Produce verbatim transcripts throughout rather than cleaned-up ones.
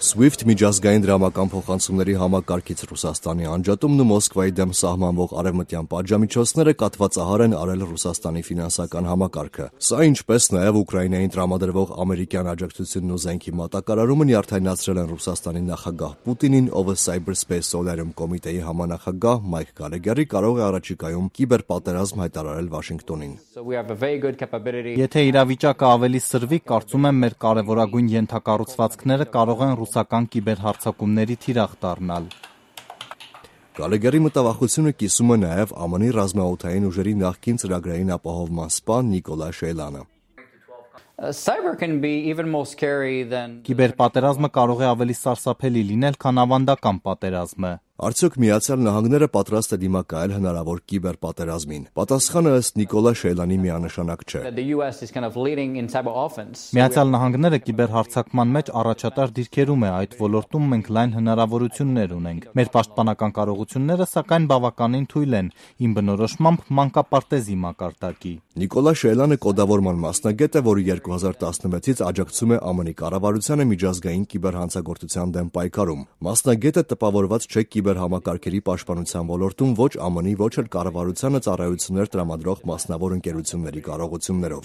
SWIFT միջազգային դրամական փոխանցումների համակարգից Ռուսաստանի անջատումն ու Մոսկվայի դեմ սահմանվող արևմտյան պատժամիջոցները կաթվածահար են արել Ռուսաստանի ֆինանսական համակարգը։ Սա, ինչպես նաև Ուկրաինային տրամադրվող ամերիկյան աջակցությունն ու զենքի մատակարարումը նյարդայնացրել են Ռուսաստանի նախագահ Պուտինին, ով Cyberspace Solarium կոմիտեի համանախագահ Մայք Գալեգերի կարող է առաջիկայում կիբերպատերազմ հայտարարել Վաշինգտոնին։ Եթե իրավիճակը ավելի սրվի, կարծում եմ մեր կարևորագույն ենթակառուցվածքները կարող են ռուսական կիբերհարձակումների թիրախ դառնալ։ Գալեգերի մտավախությունը կիսում է նաև ԱՄՆ-ի ռազմաօդային ուժերի նախկին ծրագրային ապահովման սպա Նիկոլա Շեյլանը։ Կիբերպատերազմը կարող է ավելի սարսափելի լինել, քան ավանդական պատերազմը։ Արդյոք Միացյալ Նահանգները պատրաստ է դիմակայել հնարավոր կիբերպատերազմին։ Պատասխանը ըստ Նիկոլա Շեյլանի միանշանակ չէ։ Միացյալ Նահանգները կիբերհարձակման մեջ առաջատար դիրքերում է, այդ ոլորտում մենք լայն հնարավորություններ ունենք։ Մեր պաշտպանական կարողությունները սակայն բավականին թույլ են, իմ բնորոշմամբ մանկապարտեզի մակարդակի։ Նիկոլա Շեյլանը կոդավորման մասնագետ է, որը երկու հազար տասնվեցից աջակցում է ԱՄՆ-ի կառավարությանը միջազգային կիբերհանցագործության դեմ պայքարում։ Մասնագետը տպավորված չէ կիբերհամակարգերի պաշտպանության ոլորտում ոչ ԱՄՆ-ի, ոչ էլ կառավարությանը ծառայություններ տրամադրող մասնավոր ընկերությունների կարողություններով։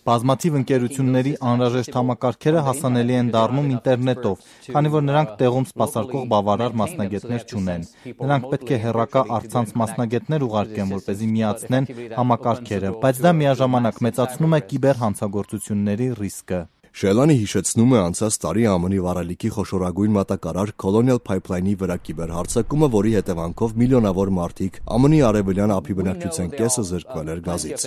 Բազմաթիվ ընկերությունների անհրաժեշտ համակարգերը հասանելի են դառնում ինտերնետով, քանի որ նրանք տեղում սպասարկող բավարար մասնագետներ չունեն։ Նրանք պետք է հեռակա առցանց մասնագետներ ուղարկեն, որպեսզի միացնեն համակարգերը, բայց դա միաժամանակ մեծացնում է կիբերհանցագործությունների ռիսկը։ Շեյլանը հիշեցնում է անցած տարի ԱՄՆ-ի վառելիքի խոշորագույն մատակարար Colonial Pipeline-ի վրա կիբերհարձակումը, որի հետևանքով միլիոնավոր մարդիկ ԱՄՆ-ի արևելյան ափի բնակչության կեսը զրկվել էր գազից։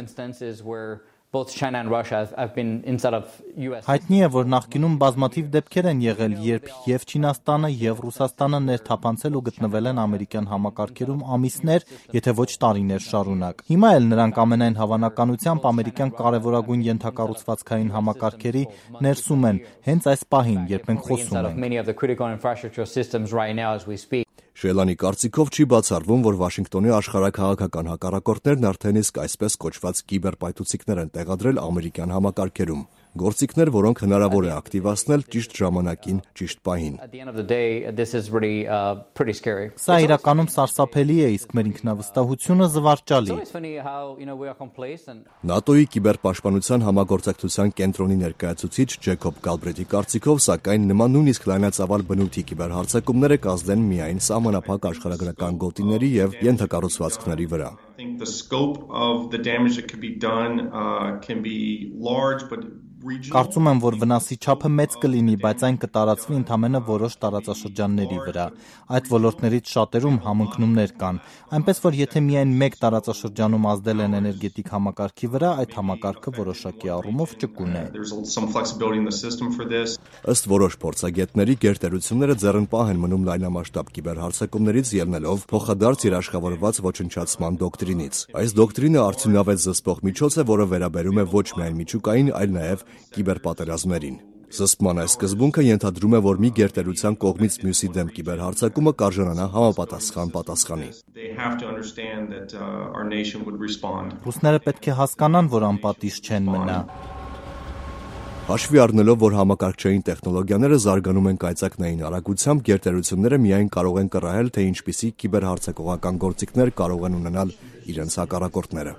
Հայտնի է, որ նախկինում բազմաթիվ դեպքեր են եղել, երբ և Չինաստանը, և Ռուսաստանը ներթափանցել ու գտնվել են ամերիկյան համակարգերում ամիսներ, եթե ոչ տարիներ շարունակ։ Հիմա էլ նրանք ամենայն հավանականությամբ ամերիկյան կարևորագույն ենթակառուցվածքային համակարգերի ներսում են, հենց այս պահին, երբ մենք խոսում ենք։ Շեյլանի կարծիքով չի բացառվում, որ Վաշինգտոնի աշխարհաքաղաքական հակառակորդներն արդեն իսկ այսպես կոչված կիբերպայթուցիկներ են տեղադրել ամերիկյան համակարգերում։ Գործիքներ, որոնք հնարավոր է ակտիվացնել ճիշտ ժամանակին, ճիշտ պահին։ Սա իրականում սարսափելի է, իսկ մեր ինքնավստահությունը զվարճալի։ ՆԱՏՕ-ի կիբերպաշտպանության համագործակցության կենտրոնի ներկայացուցիչ Ջեյքոբ Գալբրեթի կարծիքով, սակայն նման նույնիսկ լայնածավալ բնույթի կիբերհարձակումները կազդեն միայն սահմանափակ աշխարհագրական գոտիների և ենթակառուցվածքների վրա։ Կարծում եմ, որ վնասի չափը մեծ կլինի, բայց այն կտարածվի ընդամենը որոշ տարածաշրջանների վրա։ Այդ ոլորտներից շատերում համընկնումներ կան, այնպես որ եթե միայն մեկ տարածաշրջանում ազդել են էներգետիկ համակարգի վրա, այդ համակարգը որոշակի առումով ճկուն է։ Ըստ որոշ փորձագետների, գերտերությունները ձեռնպահ են մնում լայնամասշտաբ կիբերհարձակումներից ելնելով փոխադարձ երաշխավորված ոչնչացման դոկտրինից։ Այս դոկտրինը արդյունավետ զսպող միջոց է, որը վերաբերում է ոչ միայն միջուկային, այլ նաև կիբերպատերազմներին։ Զսպման այս սկզբունքը ենթադրում է, որ մի գերտերության կողմից մյուսի դեմ կիբերհարձակումը կարժանանա համապատասխան պատասխանի։ Ռուսները պետք է հասկանան, որ անպատիժ չեն մնա։ Հաշվի առնելով, որ համակարգչային տեխնոլոգիաները զարգանում են կայծակնային արագությամբ, գերտերությունները միայն կարող են կռահել, թե ինչպիսի կիբերհարձակողական գործիքներ կարող են ունենալ իրենց հակառակորդները։